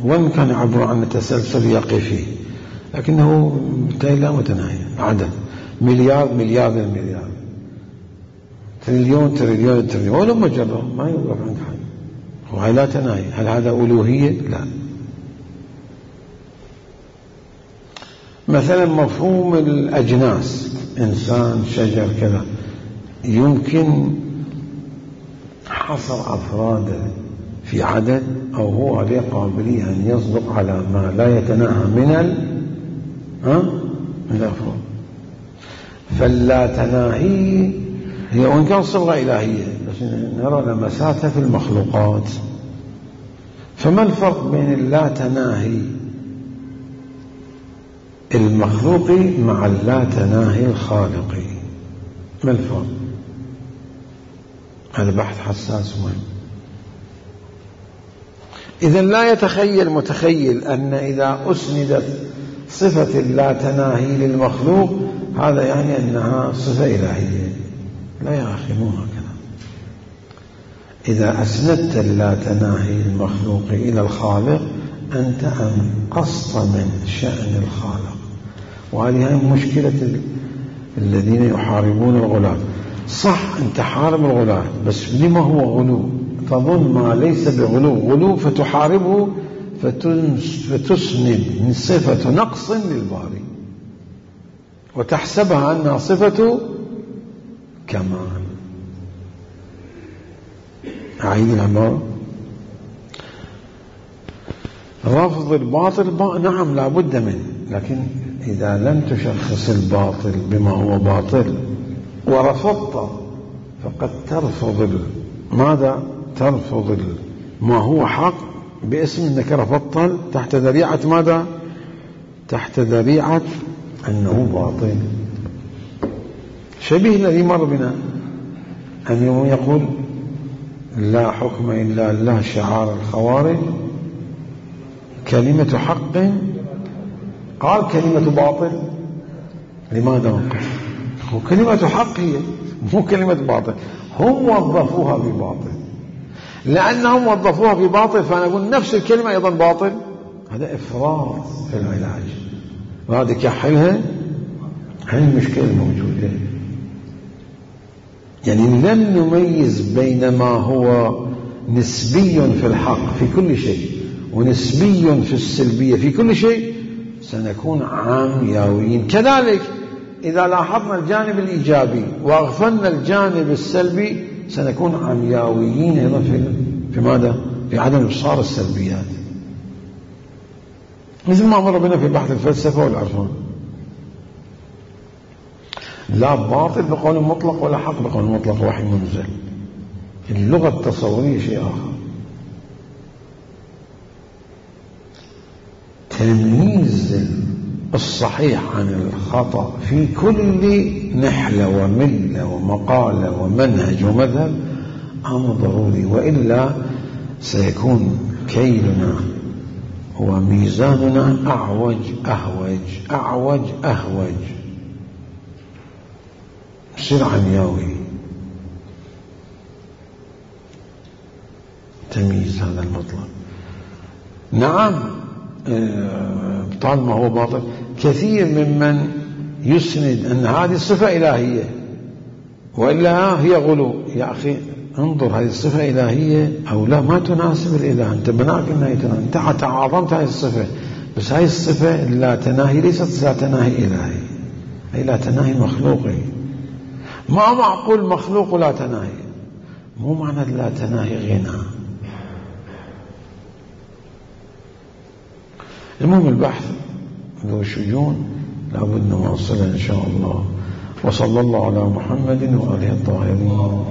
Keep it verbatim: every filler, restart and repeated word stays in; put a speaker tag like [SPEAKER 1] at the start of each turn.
[SPEAKER 1] وين كان يعبر عن تسلسل يقفي، لكنه لا متناهي، عدد مليار مليار المليار، تريليون تريليون تريليون، ولو مجرة ما يوقف عند حد، وهي لا تناهي. هل هذا ألوهية؟ لا. مثلا مفهوم الأجناس، إنسان شجر كذا، يمكن حصر أفراده في عدد، أو هو عليه قابلية أن يصدق على ما لا يتناهى من ال ها من الأفراد. فاللا تناهي هي وإن كان صبغة إلهية، بس نرى لمساتها في المخلوقات. فما الفرق بين اللا تناهي المخلوقي مع اللا تناهي الخالقي؟ ما الفرق؟ هذا بحث حساس مهم. إذا لا يتخيل متخيل أن إذا أسندت صفة اللا تناهي للمخلوق هذا يعني أنها صفة إلهية. لا يا أخي، مو هكذا. إذا أسندت اللا تناهي المخلوق إلى الخالق أنت أنقصت من شأن الخالق. وهذه هي مشكلة الذين يحاربون الغلاة. صح أنت حارب الغلاة، بس لما هو غلو؟ تظن ما ليس بغلو غلو فتحاربه فتسند من صفة نقص للباري وتحسبها أنها صفة كمال. أعيد العبارة. رفض الباطل نعم لا بد منه، لكن إذا لم تشخص الباطل بما هو باطل ورفضت فقد ترفض ماذا؟ ترفض ما هو حق باسم أنك رفضت تحت ذريعة ماذا؟ تحت ذريعة أنه باطل. شبيه الذي مر بنا أن يقول لا حكم إلا الله شعار الخوارج، كلمة حق قال كلمة باطل. لماذا وقف؟ هو كلمة حق هي مو كلمة باطل، هم وظفوها بباطل. لأنهم وظفوها بباطل فنقول نفس الكلمة أيضا باطل. هذا إفراط في العلاج، وهذا كحلها هي المشكلة الموجودة. يعني لم نميز بين ما هو نسبي في الحق في كل شيء ونسبي في السلبية في كل شيء، سنكون عامياويين. كذلك إذا لاحظنا الجانب الإيجابي وأغفلنا الجانب السلبي سنكون عمياويين أيضا في في ماذا؟ في عدم إبصار السلبيات، مثل ما مر بنا في بحث الفلسفة والعرفان. لا باطل بقول مطلق ولا حق بقول مطلق، وحي منزل. اللغة التصورية شيء آخر. تمييز الصحيح عن الخطأ في كل نحلة وملة ومقالة ومنهج ومذهب أمر ضروري، وإلا سيكون كيلنا وميزاننا أعوج أهوج أعوج أهوج، سر عمياوي. تمييز هذا المطلب. نعم طالما هو باطل. كثير ممن يسند أن هذه الصفة إلهية وإلا هي غلو. يا أخي انظر، هذه الصفة إلهية أو لا ما تناسب الإله، أنت بناك أنها تناسب، أنت تعاظمت هذه الصفة، بس هذه الصفة لا تناهي ليست لا تناهي إلهي، هي لا تناهي مخلوقي. ما معقول مخلوق لا تناهي، مو معنى لا تناهي غنى. المهم البحث ذو شجون لابد نواصله إن شاء الله. وصلى الله على محمد وآله الطاهرين.